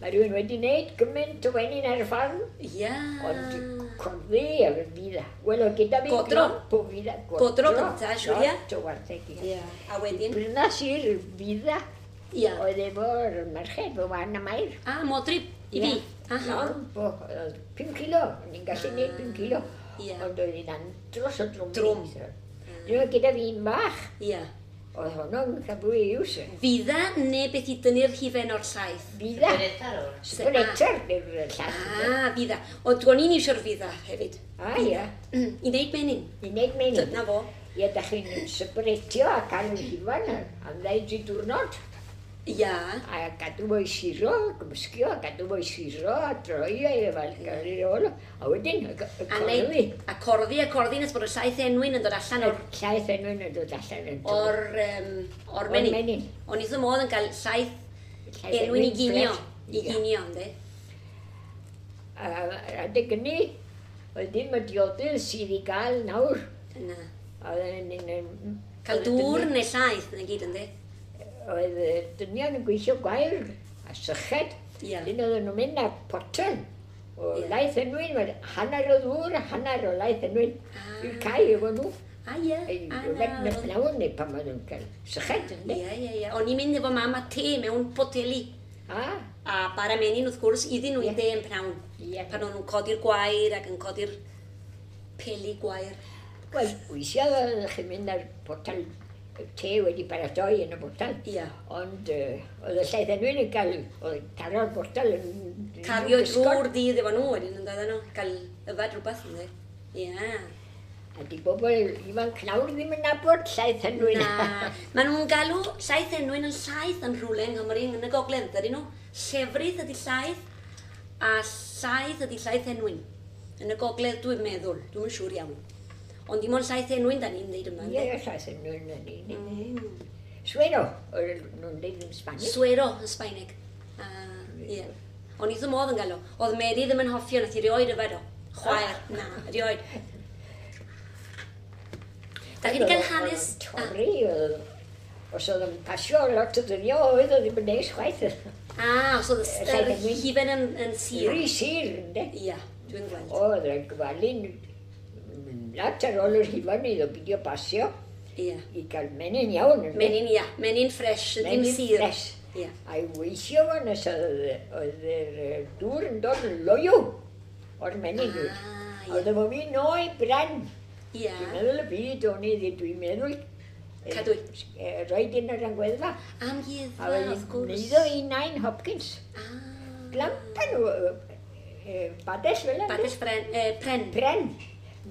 Mae rhywun wedi wneud gymaint o wenyn ar y ffarm. Ia. Ond corddi a fydda. Wel, oedd gyda fi Godro. glomp o fydda. Godro gynta, siŵr, ia? Lot o wartheg, ia. Ia. A wedyn? Brynas i'r fydda. Ia. Oedd efo'r merched, fy wan a Mair. A, modryb i fi. Aha. Lomp o, oedd 5 kilo. O'n i'n gallu gwneud 5 kilo. Ia. Ond oedd hi'n andros o drwm. Drwm. Dwi'n gyda fi un bach. Ia. Oedd honno'n cael fwy iws. Fydda neu beth i dynnu'r hufen o'r llaeth? Fydda. Spretter. Spretter yw'r llaeth. Ah, fydda. Ond o'n i'n isio'r fydda hefyd. Ah, ia. I wneud menyn. I wneud menyn. Dyna fo. Ie, da chi'n sbretio a cael yr hufen am ddau dri diwrnod. Ia. A gadw fo i siro, gymysgio, a gadw fo i siro, a droi e fel gael ei ôl. A wedyn, y A corddi. neud, a corddi, a corddi nes bod y llaeth enwyn yn dod allan o'r, Llaeth enwyn yn dod allan yn dod. o'r, o'r menyn. O'r menyn. O'n i wrth fy modd yn cael llaeth Llaeth enwyn i ginio. ffres. I Ie. ginio, ynddi? A adeg hynny, oedd ddim y diodydd sydd i gael nawr. Na. Oedd yn... Cael dŵr neu llaeth, na gyd, ynddi? Oedd y dynion yn gweithio gwair a syched. Ia. Dyn oedden nhw'n mynd â potel o Ie. laeth enwyn, wel, hanner o ddŵr a hanner o laeth enwyn Ah. i'r cae efo nhw. A ie. Ei, A yfed na, yn y pnawn neu pan oedden nhw'n cael syched, ynddi? Ie, ie, ie. O'n i'n mynd efo mam a te mewn poteli. A, A bara menyn wrth gwrs iddyn nhw i Ie. de yn pnawn. Ie. Pan o'n nhw'n codi'r gwair ac yn codi'r peli gwair. Wel, weithiau oeddech chi'n mynd â'r potel te wedi paratoi yn y botel. Ia. Ond oedd y llaeth enwyn yn cael, oedd taro'r botel yn... Cario gysgod. drwy'r dydd efo nhw wedyn yn dod nhw. Cael yfad rhywbeth ynddi. Ie. A di bobl ifanc nawr ddim yn nabod llaeth enwyn. Na. Maen nhw'n galw llaeth enwyn yn llaeth yn rhywle yng Nghymru yn y gogledd, dydyn nhw. Llefrith ydy llaeth a llaeth ydy llaeth enwyn. Yn y gogledd dwi'n meddwl, dwi'n yn siŵr iawn. Ond dim ond llaeth enwyn da ni'n dweud yma. Ie, ynddi? llaeth enwyn yn un. Suero, oedd nhw'n dweud yn Sbanig. Suero yn Sbaeneg. Ah, ie. O'n i ddim modd yn gael o. Oedd Mary ddim yn hoffi o, nath i rioed yfed o. Chwaer, na, rioed. Da chi wedi cael hanes... Oedd o'n Torri, oedd... Os oedd yn pasio lot o ddyddiau, oedd o ddim yn neis chwaith. Ah, os oedd y Llaeth enwyn. hufen yn sur. Rhy sur, ynddi? Ia, dwi'n gweld. Oedd e'n gwalu'n lot ar ôl yr hufen iddo beidio pasio Ia. i gael menyn iawn. ynde? Menyn, ia. Menyn ffres, ddim Menyn sur. ffres. Ia. A i weithio fo nes oedd yr dŵr yn dod yn loyw o'r menyn. Ah, ia. Oedd efo fi noi bren. Ia. Dwi'n meddwl y byd o'n i, dwi'n meddwl Cadw. Roed un o'r amgueddfa. Amgueddfa, A wrth wedyn gwrs. neiddo i Nain Hopkins. Ah. Glampa nhw, badell fel yna. Badell pren. Pren. Pren.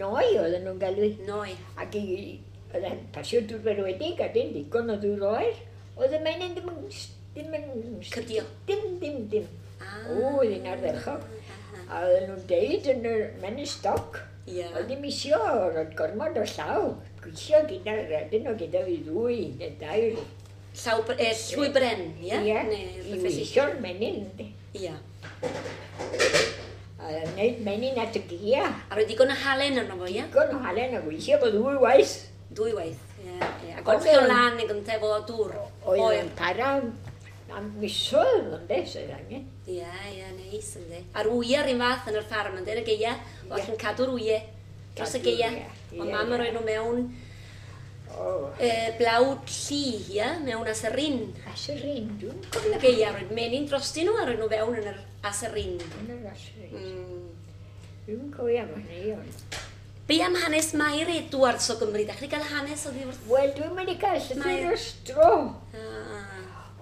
Noi oedden nhw'n galw. Noi. Ac i, oedd e'n pasio dŵr berwedig a dim digon o ddŵr oer. Oedd y menyn ddim yn... Ddim yn... Cydio. Dim, dim, dim. Ah. O, oedd hi'n ardderchog. A oedden nhw'n deud yn y menyn stoc. Ia. Oedd ddim isio, roedd gormod o llaw. Gweithio gyda'r, dyn nhw gyda fi ddwy neu dair. Llaw, llwy bren, ia? Ie, Neu i rhywbeth felly. weithio'r menyn. yndi. Ia. A wneud menyn at y gia. A roi digon o halen arno fo, ia? Digon o halen a gweithio fo ddwy waith. Dwy waith, ie. ie. A Ond golchi o'n o'n- lan neu gyntaf efo dŵr. Oedd Oer. yn para am misoedd, ynde, sydd angen. Ie, ie, neis, yndi. A'r wyau yr un fath yn yr ffarm, yndi, yn y geia. O, allan cadw'r wyau dros y Cadw'r geia. wyau, Ond ie, mam yn ie. rhoi nhw mewn O, blawd lli, ia, mewn aserin. aserin, dwi'n Yn y cofio. geia, roed menyn drostyn nhw a rhoi nhw fewn yn yr aserin. Yn yr aserin. Mm. Dwi'n cofio am hynny, ond. Be am hanes Mair Edwards o Gymru? Da chi wedi cael hanes o ddiwrth? Wel, dwi'n mynd i gael llythyr Mair. ers dro. Ah,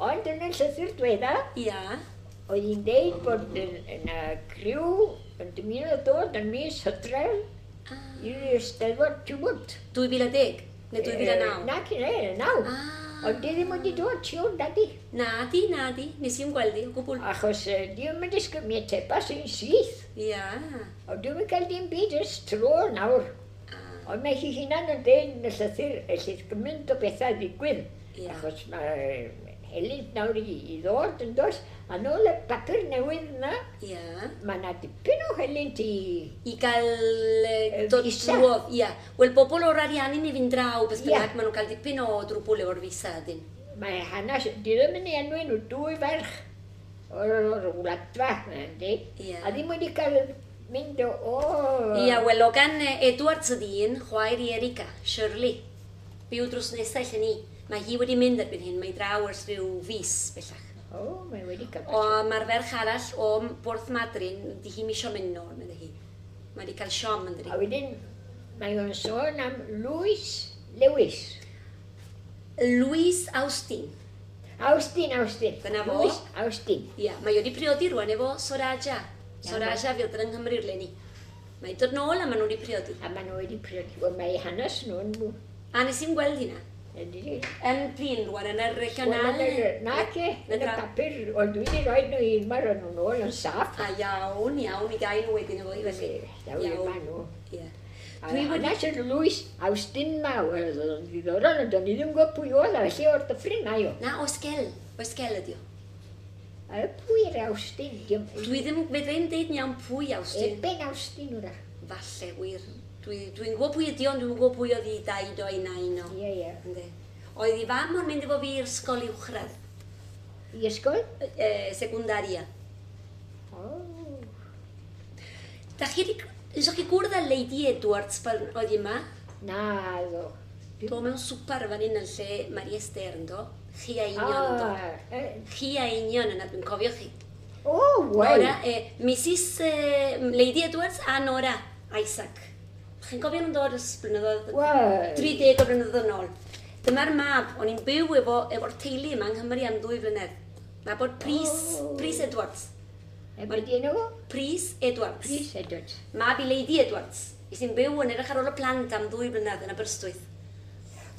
Ond yn y llythyr diwedda, ia. oedd hi'n deud bod yna criw yn dymuno dod yn mis Hydref Ah. i'r Eisteddfod Tiwbwt. 2010 neu 2009? Na, cyn e, naw. Ah. Ond di ddim wedi dod, siwr, dadi. Na di, na di. Nes i'm gweld i o gwbl. Achos di ddim yn disgwyl, mi atebas i'n syth. Ia. Ond dwi'n cael dim byd ers tro nawr. Ah. Ond mae hi hunan yn deud yn y llythyr, ellith gymaint o bethau ddigwydd. Ie. Achos mae helynt nawr i ddod yn dos. A nôl y papur newydd yna, Ia. mae yna dipyn o helynt i... I gael dod visa. drwodd. Ia. Wel, bobl o'r Ariannin i fynd draw, beth Ie. bynnag, maen nhw'n cael dipyn o drwbwl efo'r visa, dyn. Mae hanes, di ddim yn ei enwi nhw, dwy ferch. o'r wladfa, yndi. Ie. A ddim wedi cael mynd o. Ia, wel, o gan Edwards ydi un, chwaer i Erika, Shirley. Byw drws nesau lle ni. Mae hi wedi mynd erbyn hyn, mae draw ers rhyw fis bellach. O, mae wedi cael. O, mae'r ferch arall o Borth Madryn, di hi'm isio mynd nôl, medde hi. Mae wedi cael siom yn dydi. A wedyn, mae o'n sôn am Lewis Lewis. Louis Austin. Austin, Austin. Dyna fo. Lewis Austin. Ia, mae wedi priodi rwan efo Soraja. Soraja fydd yng Nghymru leni. Mae dod nôl a maen nhw wedi priodi. A maen nhw wedi priodi. Wel, mae hanes nhw'n. A nes i'n gweld hynna. Yndi. Yn prin rwan, yn y regional. Wel, na ce, yn y papur, ond dwi wedi rhoi nhw i mae'r nhw'n ôl yn saff. A iawn, iawn, i gael nhw wedyn efo i felly. Daw i yma nhw. Ie. Dwi wedi... Hanes yr Lewis Austin ma, wel, oedd o'n ddiddorol, ond o'n i ddim yn gwybod pwy oedd, a felly o'r dyffryn mae o. Na, Osgel. Osgel ydi o. A pwy yr Austin? Dwi ddim, fedra i'm deud yn iawn pwy Austin. Eben Austin wrach. Falle, wir. Dwi'n dwi gwybod pwy ydi o, ond dwi'n gwybod pwy oedd i daid o i nain o. Ie, ie. Yndi. Oedd i fam o'n mynd efo fi i'r ysgol uwchradd. I ysgol? Secundaria. O. Da chi wedi... Nesoch chi gwrdd â Lady Edwards pan oedd hi yma? Na, ddo. Do mewn swpar fan hyn yn lle Marie Esther yn do. Chi a union yn do. Chi a union yna, dwi'n cofio chi. O, wel. Nora, Mrs Lady Edwards a Nora Isaac. Chi'n cofio nhw'n dod ers blynyddoedd? Wel. 30 o blynyddoedd yn ôl. Dyma'r mab, o'n i'n byw efo'r teulu yma yng Nghymru am 2 flynedd. Mab o'r Prys, Prys Edwards. E be di enw fo? Prys Edwards. Prys Edwards. Mab i Lady Edwards. I sy'n byw yn edrych ar ôl y plant am 2 blynedd yn Aberystwyth.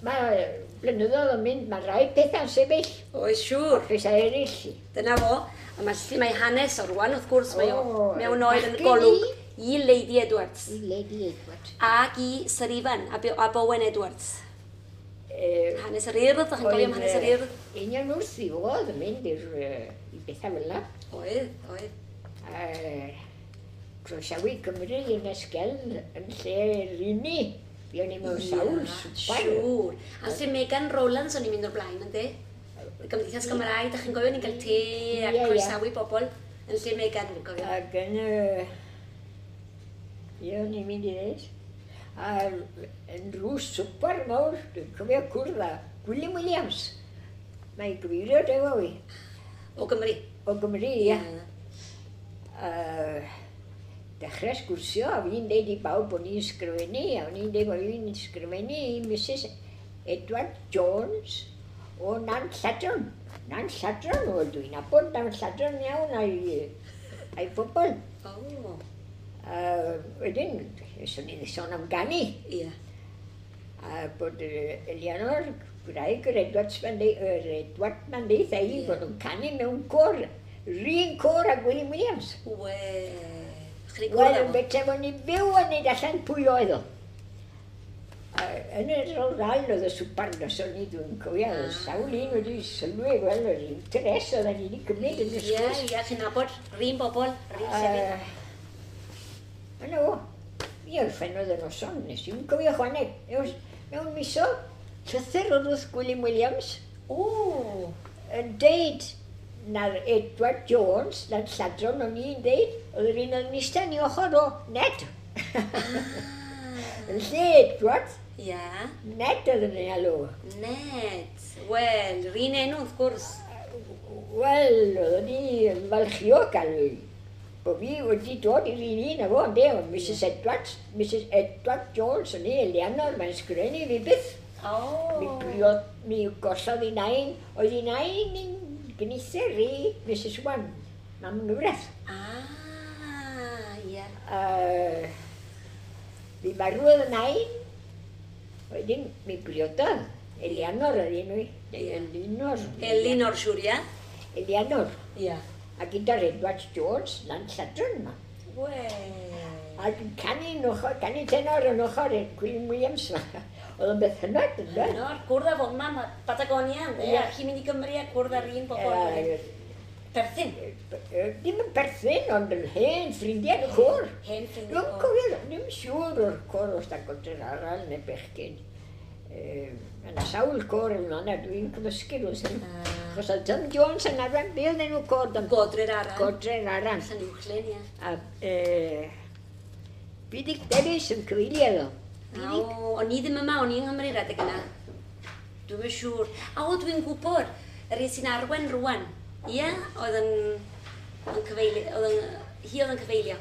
Mae blynyddoedd yn mynd, mae rai pethau'n sefyll. Oes, siŵr. Pethau eraill. Dyna fo. A mae hanes o rwan, wrth gwrs, mae o mewn oed yn y golwg i Lady Edwards. I Lady Edwards. Ac i Sir Ifan a Bowen Edwards. Hanes yr Urdd, ydych chi'n cofio am hanes yr Urdd? Union wrth i fod yn mynd i'r bethau fel yna. Oedd, oedd. Croesawu Cymru yn Esgel yn lle rini. Fuon ni mewn sawl swpar. Siŵr. A lle Megan Rowlands o'n i'n mynd o'r blaen, ynddi? Gymdeithas Gymraeg, ydych chi'n gofio ni'n cael te a croesawu bobl yn lle Megan, dwi'n cofio. Ac yn... Ie, o'n i'n mynd i ddeud. A yn rhyw swpar mawr, dwi'n cofio cwrdd â Gwilym Williams. Mae'n gyfeirio efo fi. O Gymru? O Gymru, ia. Dechrau sgwrsio, a fi'n deud i bawb bod ni'n sgrifennu, a o'n i'n deud bod fi'n sgrifennu i Mrs Edward Jones o Nant Lladron. Nant Lladron, wel dwi'n nabod Nant Lladron iawn a'i phobl. O. Wedyn, swn i'n sôn am ganu. Ie. A bod Eleanor, gwraig yr Edward ma'n deud ei bod nhw'n canu mewn côr. Rhyn côr a Gwilym Williams. Wel, Wel, yn bethau bod ni'n byw yn neud allan pwy oedd o. Yn yr oral oedd y swpar noson ni, dwi'n cofio, oedd sawl un wedi sylwi, wel, yr interes oedd ni wedi cymryd yn y sgwrs. Ie, ie, chi'n nabod, rhyn bobl, rhyn llefydd. Yna o, mi orffennodd y noson, nes i'n cofio chwaneg. Mewn miso, llythyr oedd wrth Gwilym Williams. O! Yn deud na'r Edward Jones, na'r lladron o'n i'n deud, oedd yr un o'n eistedd ni ochr o Ned. Yn lle Edward, Ia. Ned oedd yn ei alw. Ned. Wel, yr un enw wrth gwrs. Wel, oeddwn i yn falchio gael bod fi wedi dod i'r un un efo, ynde, ond Mrs Edwards, Mrs Edward Jones, o'n i, Eleanor, mae'n sgrifennu fi byth. O! Mi briod, mi gollodd i nain, oedd i nain i'n gynither i Mrs Wan, mam nghyfraith. Ah, ie. Mi marwodd y nain, wedyn mi briododd. Eleanor oedd enw i. Elinor. Elinor, siŵr, ie? Eleanor. Ie. A gyda'r Edward Jones, lan Lladron yma. Wel. A dwi'n canu yn ochr, canu tenor yn ochr i'r Gwilym Williams yma. Oedd o'n beth hynod, ynddo? Hynod, cwrdd â fo yma, Patagonia, ynddo? A chi'n mynd i Gymru a cwrdd â'r un bobl. Perthyn? Dim yn perthyn, ond yn hen ffrindiau yn y côr. Hen ffrindiau côr. Dwi'n cofio, ddim siŵr o'r côr os da goder arall neu bechgyn. Yna sawl côr yn yna, dwi'n cymysgu nhw sy'n. Achos oedd Tom Jones yn arwain, be oedd enw côr? Godre'r Aran. Godre'r Aran. Llanuwchllyn, ie. A Buddug Davies yn cyfeilio iddo. O, o'n i ddim yma, o'n i yng Nghymru'r adeg yna. Dwi'm yn siŵr. A o, dwi'n gwybod, yr un sy'n arwain rwan. Ie, oedd yn cyfeilio, hi oedd yn cyfeilio.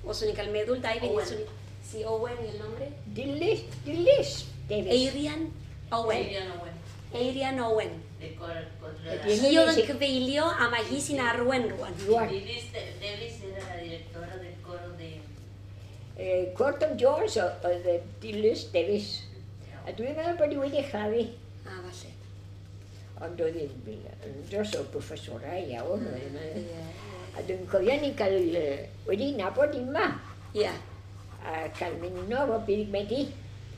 Os o'n i'n cael meddwl, 2 funud. Si Owen el nombre? Dilys Davies. Eirian Owen. Eirian Owen. Eirian Owen. Hi Hi oedd yn cyfeilio a mae hi sy'n arwain rwan. Rwan. Dilys Davies era la directora del coro de... Côr Tom Jones oedd Dilys Davies. A dwi'n meddwl bod hi wedi chladdu. A, falle. Ond oedd hi'n dros o profesorau iawn. A dwi'n cofio ni'n cael wedi nabod yma. Ie. A cael mynd yno efo Buddug Medi.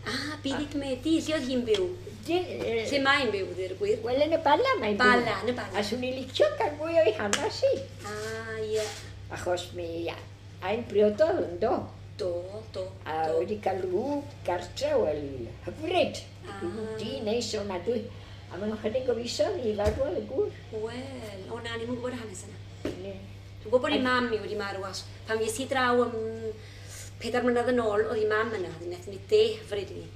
Ah, Buddug Medi, lle oedd hi'n byw? Lle mae'n byw, ddi'r gwir? Wel, yn y Bala mae'n byw. Bala, yn y Bala. A swn i'n licio cael mwy o'i hanes i. Ah, ie. Achos mi a'n briododd yn do. Do, do. A wedi cael rhyw gartre, wel, hyfryd. Rhyw di neis o'n adwy. A maen nhw'n chydig o fisoedd i farw y gŵr. Wel, o na, ni'n gwybod y hanes yna. Dwi'n gwybod bod ei mam i wedi marw, as pan fues i draw am 4 mlynedd yn ôl, oedd ei mam yna, wnaethon ni de hyfryd i ni.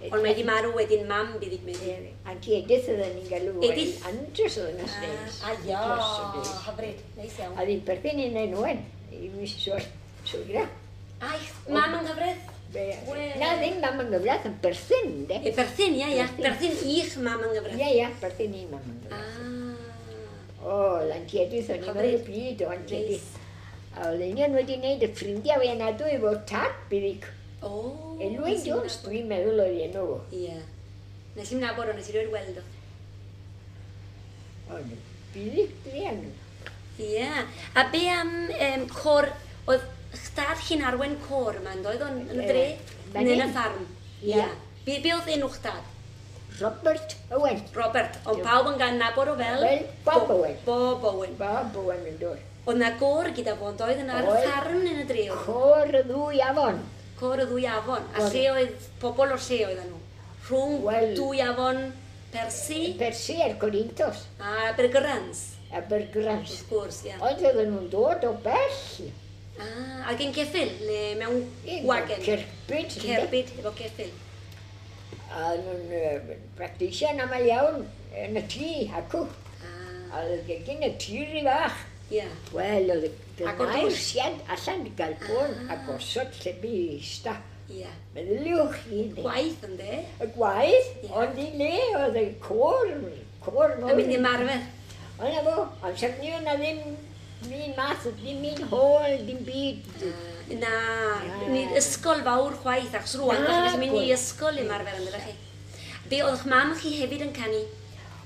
Ond mae wedi marw wedyn mam Buddug Medi. Auntie Edith oedden ni'n galw. Edith? Andros oedd yn neis. A ia, hyfryd, neis iawn. A ddim perthyn i'n enwen, i Mrs. Swygra. Ai, mam yng nghyfraith? Na, ddim mam yng nghyfraith, yn perthyn, de. E, perthyn, ia, ia. Perthyn i'ch mam yng nghyfraith. Ia, ia, perthyn i mam yng nghyfraith. O, Auntie Edith, o'n i'n meddwl y byd o Auntie Edith. A oedd union wedi wneud y ffrindiau fi yna dwy efo tad Buddug. O. Elwyn Jones, dwi'n meddwl oedd enw fo. Ie. Nes i'm nabod o, nes i rioed weld o. Ond Buddug druan. Ie. A be am côr, oedd dad chi'n arwain côr yma, yn doedd o'n yn y dre? Neu yn y ffarm? Ie. Be oedd enw'ch dad? Robert Owen. Robert, ond pawb yn gan nabod o fel? Fel Bob Owen. Bob Owen. Bob Owen yn dod. Oedd na gôr gyda fo, ond oedd yn ar y ffarm yn y dre? Côr y ddwy afon. Côr y ddwy afon. A lle oedd, pobl o'r lle oedden nhw? Rhwng dwy afon Persi? Persi a'r Corinthos. A Abergyrans. Abergyrans. Wrth gwrs, ia. Ond oedden nhw'n dod o bell. Ah, ac yn ceffyl, neu mewn wagen? Cerbyd. Cerbyd, efo ceffyl. A nhw'n practisian aml iawn yn y tŷ, acw. A oedd gegin y tŷ rhy fach. Ie. Wel, oedd y gynau'r siad allan i gael bôn a gosod lle bu ista. Ie. Meddyliwch chi. Gwaith, ynddo? Y gwaith, ond i le oedd y côr, côr mawr. Yn mynd i ymarfer. Ond na fo, amser ni oedd na ddim un math, ddim un hôl, dim byd. Na, ni'r ysgol fawr chwaith, achos rwan, da chi'n gallu mynd i ysgol i ymarfer, ynddo chi. Be oedd eich mam chi hefyd yn canu?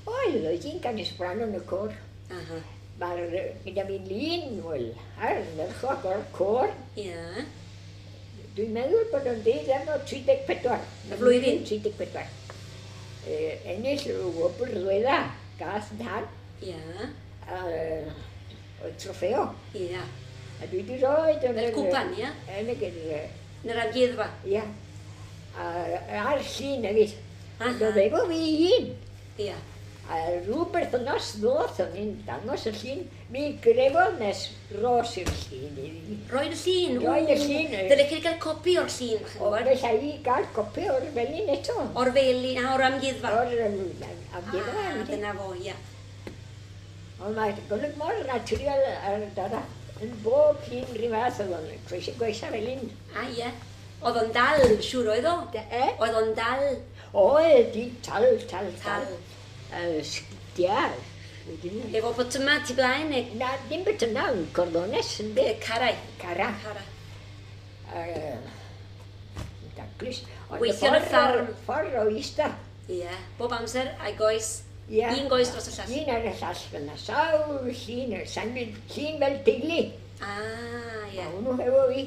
Oedd, oedd hi'n canu soprano yn y côr. Aha. Mae'r, gyda fi lun, wel, ar ardderchog o'r côr. Ie. Dwi'n meddwl bod o'n deud am o 34. Y flwyddyn? 34. Ennill y wobr ddwedda, gath nhad. Ie. A oedd trofeo. Ie. A dwi wedi rhoi... Fel cwpan, ie? Yn y gyda. Yn yr amgueddfa? Ie. A ar llun hefyd. Ond oedd efo fi un. Ie. A rhyw berthynas ddoth o'n i'n dangos y llun, mi grefodd nes ros i'r llun i fi. Roed y llun? Roed y llun. Dyle chi gael copi o'r llun, chi'n gwybod? O, felly i gael copi o'r felin eto. O'r felin, a o'r amgueddfa? O'r amgueddfa. Ah, dyna fo, ia. Ond mae golwg mor naturiol ar dara. Yn bob llun rhyw fath oedd o'n gweithio felin. A, ie. Oedd o'n dal, siŵr oedd o? E? Oedd o'n dal? Oedd, di, tal, tal, tal. Sgidiau. Efo botyma tu blaen neu? Na, dim botyma, yn cordones yn de. Carau. Cara. Cara. Daclus. Gweithio yn y ffarm. Ffordd o ista. Ie, bob amser a'i goes. Ie. Un goes dros y llall. Un ar y llall fyna. Sawl llun, llun fel teulu. Ah, ie. A hwnnw efo fi.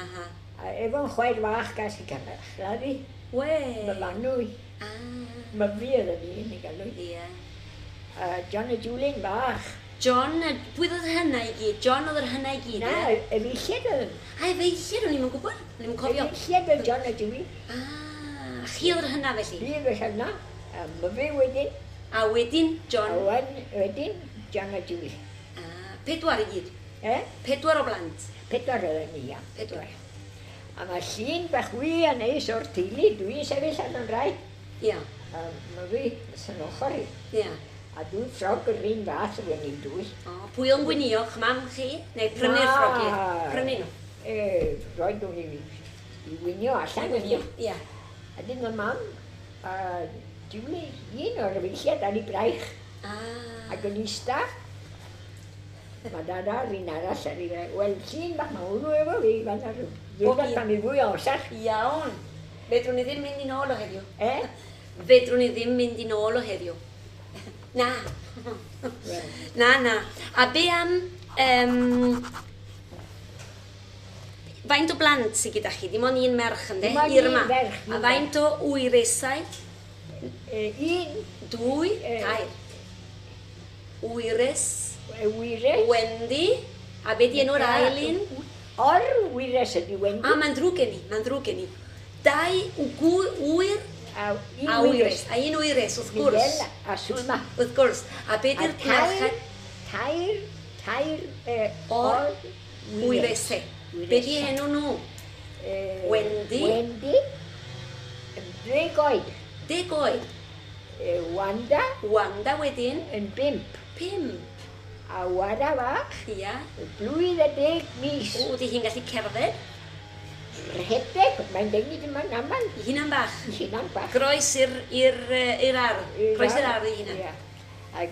Aha. A efo'n chwaer fach gas i chladdu. We. Mae fanw i. Ah. Mae fi oedd yn un i galw. Ie. A John a Julian bach. John, pwy oedd hynna i gyd? John oedd yr hynna i gyd, Na, ie? efeilliad oedd. A efeilliad, o'n i'm yn gwybod, o'n i'm yn cofio. Efeilliad oedd John a Julie. Ah, chi oedd yr hynna felly? Fi oedd yr hynna, a myfi wedyn. A wedyn John. A wan, wedyn John a Julie. Ah, pedwar i gyd? Eh? Pedwar o blant? Pedwar oedden ni, ia. Pedwar. A mae llun bach wy a neis o'r teulu, dwi'n sefyll ar yn rai. Ia. A myfi, sy'n ochr i. Ia. A dwi'n ffrog yr un fath o'n i'n dwy. O, pwy o'n gwynio, mam chi? Neu prynu'r ffrogi? Prynu nhw? E, roed nhw i wynio allan. I wynio, ia. A dyn y mam, a Julie, un o'r efeilliad ar ei braich. Ah. Ac yn ista, mae dada a'r un arall ar ei braich. Wel, llun bach mae hwnnw efo fi, fan ar rhywbeth pan i fwy o amser. Iawn. Fedrwn ni ddim mynd i nôl o heddiw. E? Fedrwn ni ddim mynd i nôl o heddiw. Na. Na, na. A be am... Faint o blant sydd gyda chi? Dim ond un merch, ynddo? Dim ond un ferch. A faint o wyresau? Un. Dwy. Tair. Wyres. Wyres. Wendy. A be di enw'r ail un? Or wyres ydi Wendy. A mae'n ddrwg gen i, mae'n ddrwg gen i. Dau wyr a un wyres. A un wyres, wrth gwrs. Miguel a Sulma. Wrth gwrs. A be di'r merched? Tair o'r wyresau. Be di enw nhw? Wendy. Wendy. 10 oed. 10 oed. Wanda. Wanda wedyn. Yn 5. 5. A Wada fach. Ia. Blwydd a 10 mis. O, di hi'n gallu cerdded? Rhedeg, mae'n denu dim yn aml. I hunan bach. I hunan bach. Groes i'r ardd. Groes i'r ardd i hunan. Ia. A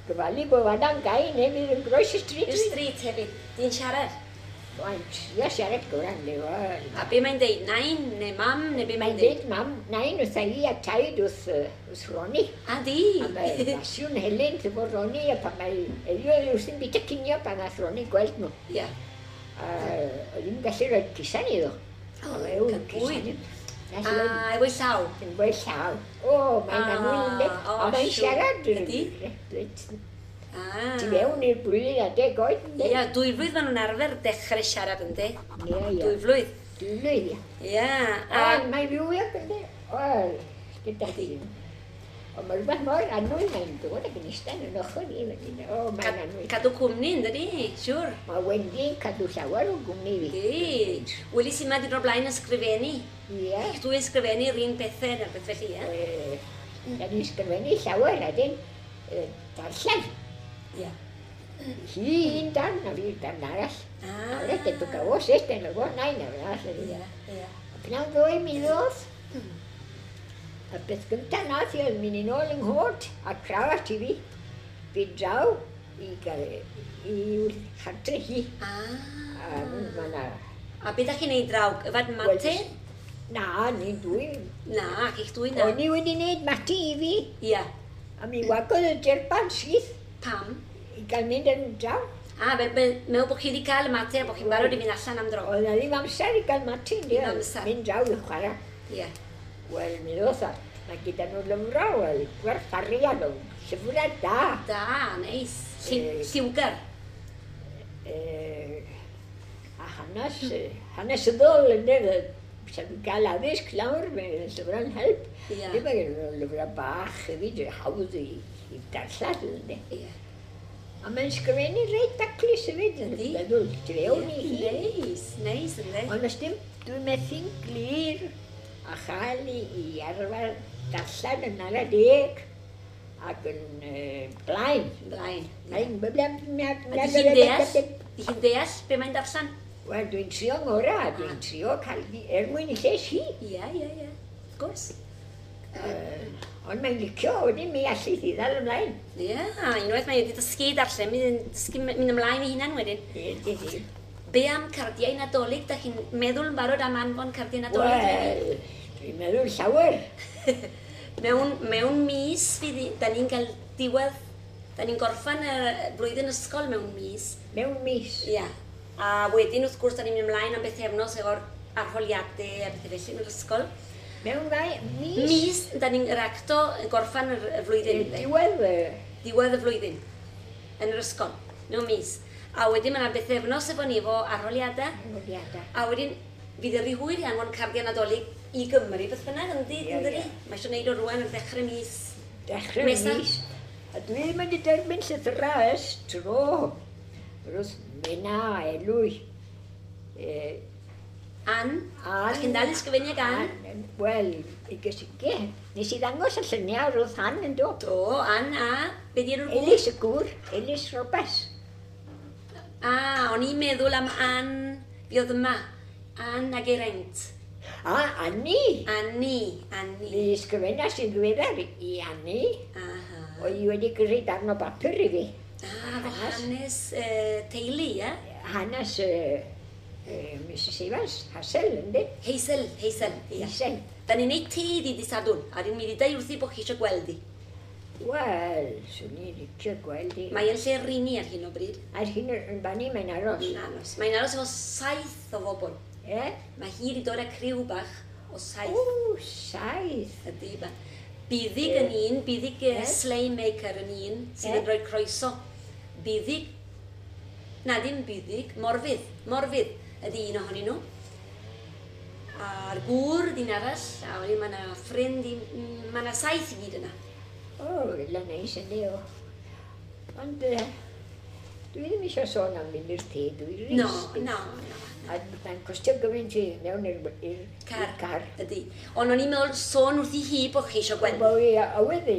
gyfalu bod Wada'n gau neu fydd yn groes y stryd. I'r stryd hefyd. Di'n siarad? Mae'n trio siarad gorau, neu o. A be mae'n deud? Nain neu mam neu be mae'n deud? Mae'n deud mam, nain wrtha i a taid wrth Ronnie. A di? A mae fasiwn Helen efo Ronnie a pan mae Elio wrthi'n bita cinio pan nath Ronnie gweld nhw. Ia. A oedd hi'n gallu rhoi cusan iddo. O, cael bwyd. A efo'i llaw? Efo'i llaw. O, mae'n annwyl ynddi. A mae'n siarad. Ydy? Ti fewn i'r blwyddyn a 10 oed, ynddi? Ia, 2 flwydd maen nhw'n arfer dechrau siarad, ynddi? Ia, ia. 2 flwydd. 2 flwydd, ia. Ia. O, mae'n fywiog, ynddi? O, gyda chi. Ond mae rhywbeth mor annwyl mae'n dod ac yn eistedd yn ochr i. O, mae'n annwyl. Cadw cwmni, ynddi? Siwr. Mae Wendy'n cadw llawer o gwmni fi. Di. Welis i ma di dod blaen ysgrifennu. Ia. Dwi ysgrifennu'r un pethau na'r beth felly, ia? Da ni'n ysgrifennu llawer, a dyn darllen. Ia. Hi un darn a fi darn arall. Ah. A wrth edrych o sut yn y nain arall. Ia, ia. Pnawn ddoe mi ddoth. A beth gyntaf nath i oedd mynd yn ôl yng nghot a crawat i fi. Fi draw i chartre hi. Ah. A ma' 'na... A be da chi'n neud draw? Yfad mate? Na, ni'n dwy. Na, chi'ch dwy na. O'n i wedi neud mate i fi. Ia. A mi wagodd y jerban syth. Pam? I gael mynd yn draw. A, fel meddwl bod chi wedi cael y mate a bod chi'n barod i fynd allan am dro. Oedd na ddim amser i gael mate. Ddim amser. Mynd draw i chwarae. Ia. Wel, mi ddoth a, mae gyda nhw lyfrau, wel, gwerth arian o llyfrau da. Da, neis. Lliwgar. A hanes, hanesyddol, ynddo, sa nhw'n cael addysg lawr, mae llyfrau'n help. Ia. Ddim mae gen nhw lyfrau bach hefyd, hawdd i darllen, ynddo. Ia. A mae'n sgrifennu reit daclus hefyd, yn meddwl, tu fewn i hi. Neis, neis, ynddo. Ond os dim, dwi'n methu'n glir a chael i arfer darllen yn ara deg ac yn blaen. Blaen. Blaen. A di hi'n deall? Di hi'n deall be mae'n darllen? Wel, dwi'n trio ngorau, dwi'n trio cael er mwyn i lles hi. Ia, ia, ia. Wrth gwrs. Ond mae'n licio, wedyn mi allu hi ddal ymlaen. Ia, unwaith mae wedi dysgu darllen, mynd dysgu mynd ymlaen i hunan wedyn. Ie, di. Be am cardiau Nadolig? Da chi'n meddwl yn barod am anfon cardiau Nadolig? Wel, dwi'n meddwl llawer. Mewn mis, fydd, da ni'n cael diwedd, da ni'n gorffan y blwyddyn ysgol mewn mis. Mewn mis? Ia. A wedyn, wrth gwrs, da ni'n mynd ymlaen am bythefnos efo'r arholiadau a bethau felly yn yr ysgol. Mewn rai mis? Mis, da ni'n yr acto gorffan y flwyddyn. Diwedd? Diwedd y flwyddyn. yn yr ysgol, mewn mis. A wedyn mae yna bythefnos efo ni efo arholiadau. Arholiadau. A wedyn, fydd y rhy hwyr i anfon cardiau Nadolig i Gymru, beth bynnag, yndi, Ie, yndi? ie. Mae eisiau gwneud o rwan ar ddechrau mis. Dechrau Nesa. mis. A dwi ddim wedi derbyn llythyrau ers tro. Wrth Mena, Elwy. Ann? Ann. Da chi'n dal i sgrifennu ag Ann? Ann, Wel, i gysige. Nes i ddangos y lluniau wrth Ann yn do. Do, Ann a... Be di enw'r gŵr? Elis y gŵr, Elis Roberts. A, o'n i'n meddwl am Ann, fi oedd yma. Ann a Geraint. A, Anni. Anni, Anni. Mi ysgrifennas i'n ddiweddar i Anni. Aha. Oedd hi wedi gyrru darn o bapur i fi. Ah, efo hanes teulu, ie? Hanes Mrs Evans, Hassel, yndi? Hazel, Hazel, ie. Hazel. Da ni'n neud te iddi di Sadwrn, a dyn mi di dweud wrthi bod chi eisiau gweld hi. Wel, swn i'n licio gweld hi. Mae yn lle rini ar hyn o bryd. Ar hyn yn fanny mae'n aros. Mae'n aros. Mae'n aros efo 7 o bobl. E? Mae hi wedi dod â criw bach o 7. O, 7. Ydy, ba. Buddig yn un, buddig sleigh maker yn un, sydd yn rhoi croeso. Buddig, na ddim buddig, morfydd, morfydd ydy un ohonyn nhw. A'r gŵr ydy'n arall, a wedyn mae yna ffrind, mae yna 7 i gyd yna. O, la neis ydy o. Ond dwi ddim eisiau sôn am mynd i'r tŷ, dwi'n No, rist. no, no. A mae'n costio gymaint i mewn i'r Car. car. Ydy. Ond o'n i'n meddwl sôn wrthi hi bod chi eisiau gweld. Bo i awydd i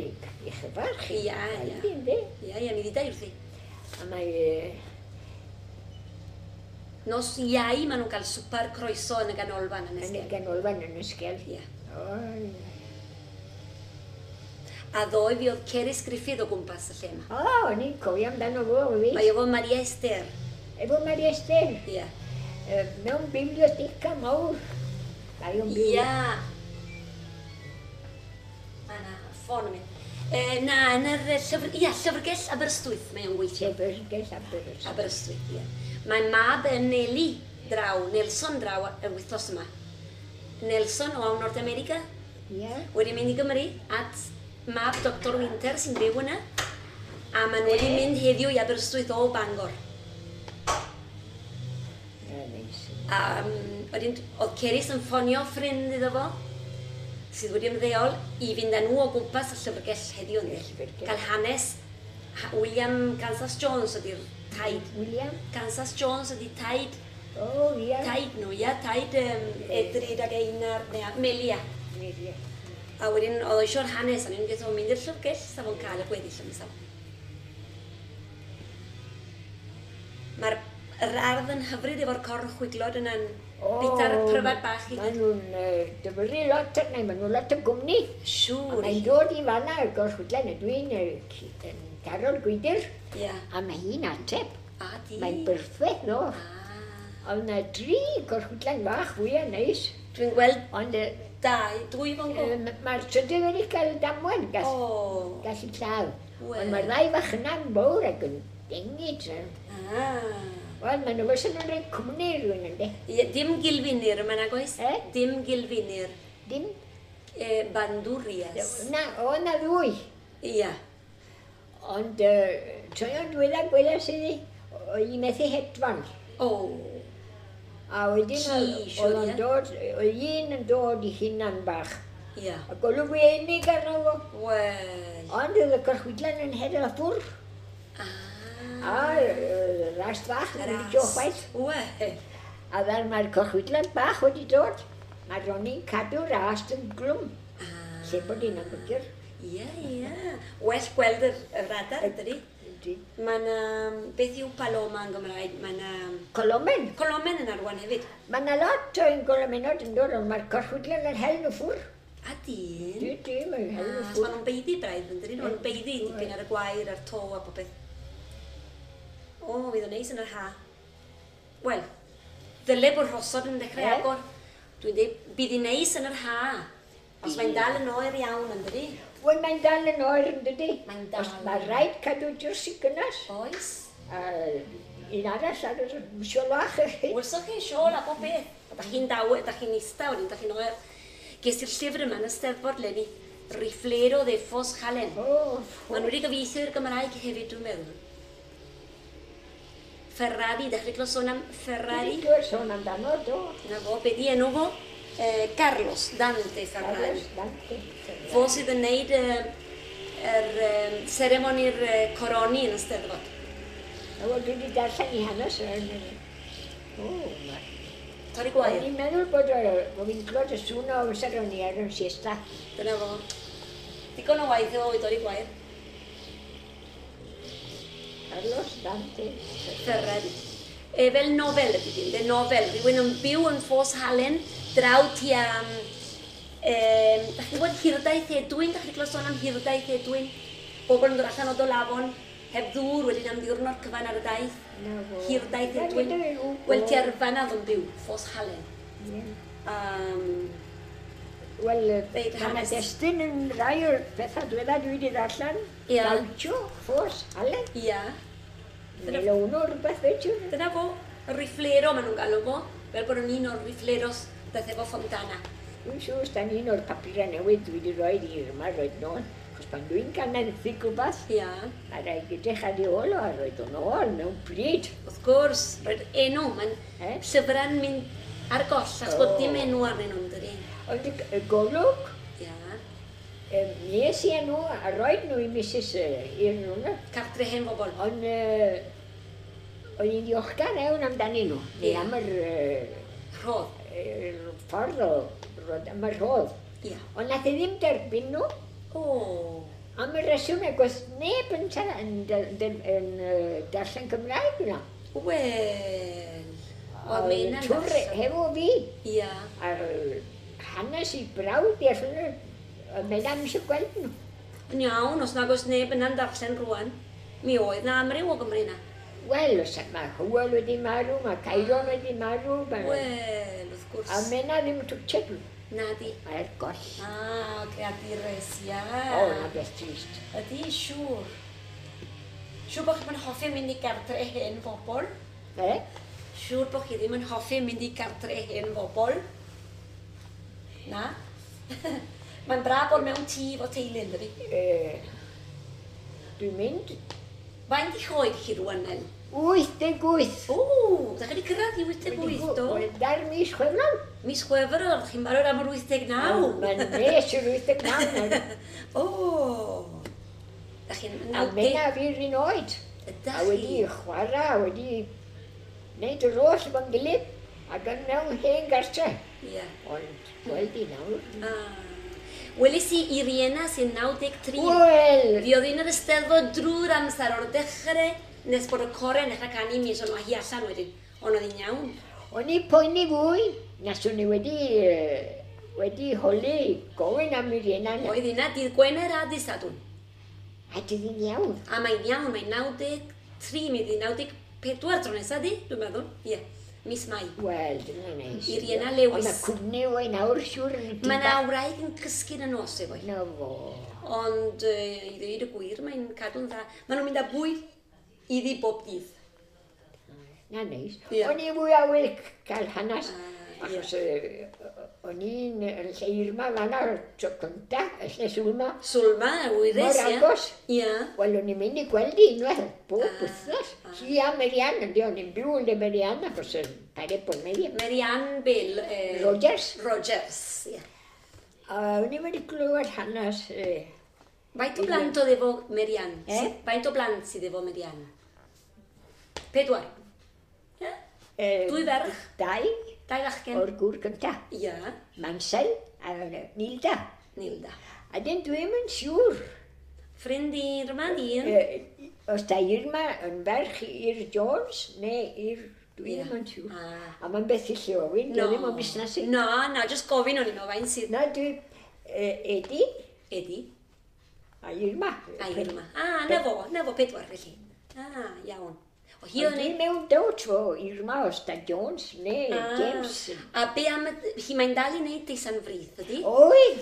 chyfarch chi. Ia, ia. Ydy, yndi. Ia, ia, mi ddidai wrthi. A mae... Nos Iau maen nhw'n cael swper croeso yn y ganolfan yn Yn y Esgel. ganolfan yn Esgel. Ia. O, A ddoe fi oedd Cerys Griffith o gwmpas y lle yma. O, o'n i'n cofio amdano fo, fi. Mae efo Maria Esther. Efo Maria Esther. Ia. Mewn biblioteca mawr. Mae o'n Ia. A na, ffôn yn mynd. Na, yn yr llyfr... Ia, llyfrgell Aberystwyth mae o'n gweithio. Llyfrgell Aberystwyth. Aberystwyth, ia. Mae mab yn Neli draw, Nelson draw y wythnos yma. Nelson o Nord America. Ia. Wedi mynd i Gymru at mab Dr Winter sy'n byw yna. A maen nhw wedi mynd heddiw i Aberystwyth o Bangor. Ia, neis. A wedyn, oedd Cerys yn ffonio ffrind iddo fo, sydd wedi ymddeol, i fynd â nhw o gwmpas y llyfrgell heddiw. Y llyfrgell. Cael hanes William Kansas Jones ydy'r taid. William? Kansas Jones ydy taid. O, ia. Taid nhw, ia. Taid Edryd ac Einar, neu Melia. Melia. A wedyn oedd o eisiau'r hanes, a ni'n gwybod mynd i'r llyfrgell, sa fo'n cael y gweddill am safon. Mae'r yr ardd yn hyfryd efo'r corn chwiglod yna'n bita'r pryfad bach i Maen nhw'n dyfyru lot arna, maen nhw'n lot o gwmni. Siŵr. A mae'n dod i fanna y gorchwydlen, a dwi'n yn taro'r gwydr. Ia. A mae hi'n ateb. A di. Mae'n berffaith, no. Ond na 3 gorchwydlen fach fwyaf neis. Dwi'n gweld Ond 2 fo'n go. Mae'r trydydd wedi cael damwain, gallu lladd. Wel. Ond mae'r ddau fach yna'n fawr ac yn dengid. Wel, maen nhw fysa nhw'n rhoi cwmni i rhywun, yndi? Ie, dim gilfinir yma nag oes? Eh? Dim gilfinir. Dim? Bandwrias. Na, o na ddwy. Ia. Ond troion diwedda gwelas iddi, oedd hi methu hedfan. O. A wedyn Ci, oedd o'n siŵr, ie. dod, oedd un yn dod i hunan bach. Ia. A golwg wenig arno fo. Wel. Ond oedd y gorchwydlen yn hedfan a ffwrdd. A rast fach yn mynd i chwaith. Wel. A fel mae'r corchwydlen bach wedi dod, mae Ronnie'n cadw'r ast yn glwm. Lle bod hi'n amlygur. Ie, ie. Well gweld yr radar, ydy. Mae yna, beth yw paloma yn Gymraeg? Mae yna... Colomen. Colomen yn arwain hefyd. Mae yna lot o'n golomenod yn dod, ond mae'r corchwydlen yn hel nhw ffwrdd. A dyn? Dwi, dwi, mae'n hel nhw Maen ffwrdd. nhw'n beiddi braidd, yn dydyn? Maen nhw'n beiddi dipyn ar y gwair, a'r to a popeth. O, fydd o'n neis yn yr ha. Wel, ddyle bod rhosod yn dechrau agor. Dwi'n dweud, bydd hi'n neis yn yr ha. Os mae'n dal yn oer iawn, yn dydi? Wel, mae'n dal yn oer, yn dydi? Mae'n dal. Os mae rhaid cadw jyrs i gynnas. Oes. A un arall ar yr siolach. Welsoch chi siôl a bob beth. A da chi'n dawe, da chi'n ista wedyn, da chi'n oer. Ges i'r llyfr yma yn y Steddfod leni, Riflero de Ffos Halen. O, Maen nhw wedi gyfieithu i'r Gymraeg hefyd, dwi'n meddwl. Ferrari, dechrau clywed sôn am Ferrari? Dwi'n clywed sôn amdano, do. Na fo, be di enw fo? Carlos Dante Ferrari. Carlos Dante Ferrari. Fo sydd yn neud yr seremoni'r coroni yn y Steddfod. Na fo, dwi wedi darllen i hanes yn... O, ma... Torri gwair. O'n i'n meddwl bod fi'n clywed y sŵn o amser o'n i ar yn siesta. Dyna fo. Digon o waith efo i dorri gwair. Carlos Dante Ferrari. E, fel nofel ydy dim, de nofel. Rhywun yn byw yn Ffos Halen, draw tua... Da chi'n gwybod Hirdaith Edwin? Da chi'n clywed sôn am Hirdaith Edwin? Bobl yn dod allan o Dolafon, heb ddŵr, wedyn am ddiwrnod cyfan ar y daith. Hirdaith Edwin. Wel, tua'r fanna oedd yn byw, Ffos Halen. Wel, mae yna destun yn rai o'r pethau diwedda dwi wedi ddarllen. Gaucho, Ffos Halen. Ia. Neu uno rhywbeth fe ti'n. Dyna fo, y riflero maen nhw'n galw fo, fel bod yn un o'r rifleros daeth efo Fontana. Dwi'n siŵr os dan un o'r papurau newydd dwi wedi rhoi i Irma roed nôl, achos pan dwi'n cael menthyg rhywbeth, mae rhaid edrych ar ei ôl o a roed o'n ôl mewn pryd. Wrth gwrs, roed enw, mae'n llyfrau'n mynd ar goll, achos bod dim enw arnyn nhw'n dydi. Ond y golwg, nes i enw a roed nhw i Mrs. i'r nhw. Cartre hen bobl. Ond o'n i'n ddiolchgar iawn amdanyn nhw, neu am yr... Rhodd. Ffordd o, am y rhodd. Ond nath i ddim derbyn nhw. O. Am y reswm ag oedd neb yn darllen Cymraeg yna. Wel, oedd Mena yn Twr hefo fi. Ia. A'r hanes i brawd i allan oedd Mena ddim eisiau gweld nhw. Yn iawn, os nag oes neb yna'n darllen rwan, mi oedd na amryw o Gymru yna. Wel, mae Hywel wedi marw, mae Cairon wedi marw. Wel, wrth gwrs. A Mena ddim yn twtsiad nhw. Na di. Mae'r goll. Ah, creadures, ia. O, na beth trist. Ydy, siŵr. Siŵr bod chi'n hoffi mynd i gartre hen bobl? E? Siŵr bod chi ddim yn hoffi mynd i gartre hen bobl? Na? Mae'n braf bod mewn tŷ efo teulu, yn dydi? Dwi'n mynd. Faint i'ch oed chi rwan, Nel? 88. O, da chi wedi cyrraedd i 88, do? Wel, da'r mis Chwefror. Mis Chwefror, ydych chi'n barod am yr 89? Mae'n nes yr 89. O, da chi'n 90... A Mena fi'r un oed. Ydach chi? A wedi chwarae, a wedi wneud yr oll efo'n gilydd, ac yn mewn hen gartre. Ie. Ond gweld i nawr. Weles i Iriena sy'n 93. Wel! Fi oedd un o'r Eisteddfod drwy'r amser o'r dechrau nes bod y corau yn dechrau canu mi, so nhw hi allan wedyn. Ond oedd hi'n iawn. O'n i poeni fwy, nes o'n i wedi holi gofyn am Iriena. Oedd hynna dydd Gwener a dydd Sadwrn. A dydd hi'n iawn. A mae'n iawn, mae'n 93, mi fydd 94 tro nesaf di, dwi'n meddwl. Ie. Mis Mai. Wel, dyna neis. Iriena Lewis. Ond mae cwmni o'i nawr siŵr yn Mae na wraig yn cysgu yn y nos efo hi. Na fo. Ond i ddweud y gwir, mae'n cadw'n dda. Maen nhw'n mynd â bwyd iddi bob dydd. Na neis. Ie. O'n i fwy awydd cael hanes. Achos o'n i'n yn lle Irma fan'na tro cynta, y lle Sulma. Sulma, wyres, Mor ie. agos. Ie. Wel, o'n i'n mynd i gweld hi unwaith, bob wythnos. Hi a Marianne, yndi, o'n i'n byw yn le Marianne, achos yn pared bod Marianne. Marianne Bill. Rogers. Rogers, ie. A o'n i'n wedi clywed hanes... Faint o blant oedd efo Marianne? Eh? Faint o blant sydd efo Marianne? 4. Ie? Dwy ferch? Dau. Dau fachgen. O'r gŵr cynta. Ie. Mansel a Nilda. Nilda. A dyn dwi'm yn siŵr. Ffrind i Irma, di un? Os da Irma yn ferch i'r Jones neu i'r... Dwi ddim yn siŵr. A mae'n beth i lle ofyn, dwi ddim o'n busnes i. Na, na, jyst gofyn o'n i'n meddwl faint sydd... Na, dwi... Edi. Edi. A Irma. A Irma. A, na fo, 4 felly. A, iawn. O, hi Ond dwi mewn dowt fo Irma os da Jones neu James. A be am... Hi mae'n dal i wneud Deisan Frith, ydy? Oedd.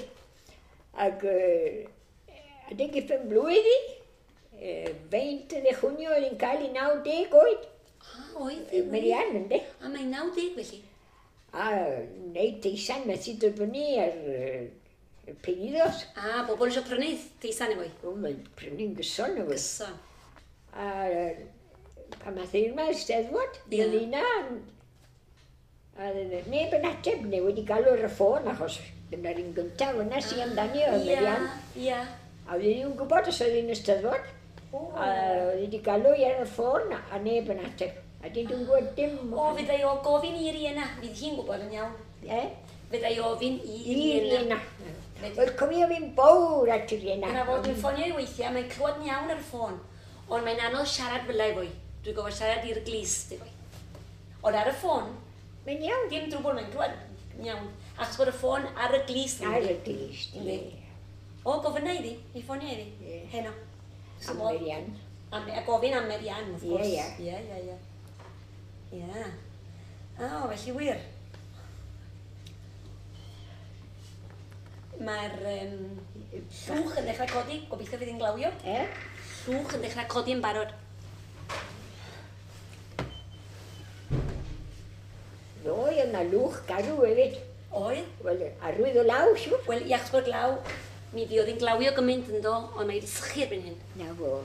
Ac adeg i ffen blwydd i, 20 de junio oedd hi'n cael ei 90 oed. A, oedd. Marianne, ynddi? A mae'n 90 felly. A wneud teisan methu dod fyny ar y pedidos. A, bobl eisiau prynu teisan efo i. O, mae'n prynu'n gyson efo i. Gyson. A A mae thirma Eisteddfod, Ie. Melina. A neb yn ateb, neu wedi galw ar y ffôn, achos dyna'r un gyntaf yna sy'n amdani oedd Marian. Ia. A oedd hi'n gwybod os oedd hi'n Eisteddfod. O. A oedd hi wedi galw i ar y ffôn a neb yn ateb. A di dwi'n gwybod dim. O, fydda i o gofyn i Riena. Fydd hi'n gwybod yn iawn. Eh? Fydda i ofyn i I Riena. Riena. Wel, cofio fi'n bowr at Riena. Dyna fo, dwi'n ffonio i weithiau, mae'n clywed yn iawn ar y ffôn. Ond mae'n anodd siarad fel efo i. Dwi'n gofio siarad i'r glist efo i. Ond ar y ffôn, Mae'n iawn. dim drwbl, mae'n clywed yn iawn. Achos bod y ffôn ar y glist. Ar y glist, Yndi. ie. O, gofynna iddi, i ffonio iddi. Ie. Heno. Am Marian. Am, a gofyn am Marian, wrth Ie, gwrs. ie. Ie, ie, ie. Ie. O, felly wir. Mae'r llwch yn dechrau codi, gobeithio fydd hi'n glawio. Eh? Llwch yn dechrau codi yn barod. Ddoe yna lwch garw hefyd. Oedd? Wel, arwydd o law, siwr. Wel, i achos bod glaw, mi fuodd hi'n glawio gymaint yn do, ond mae wedi sychu erbyn hyn. Na fo.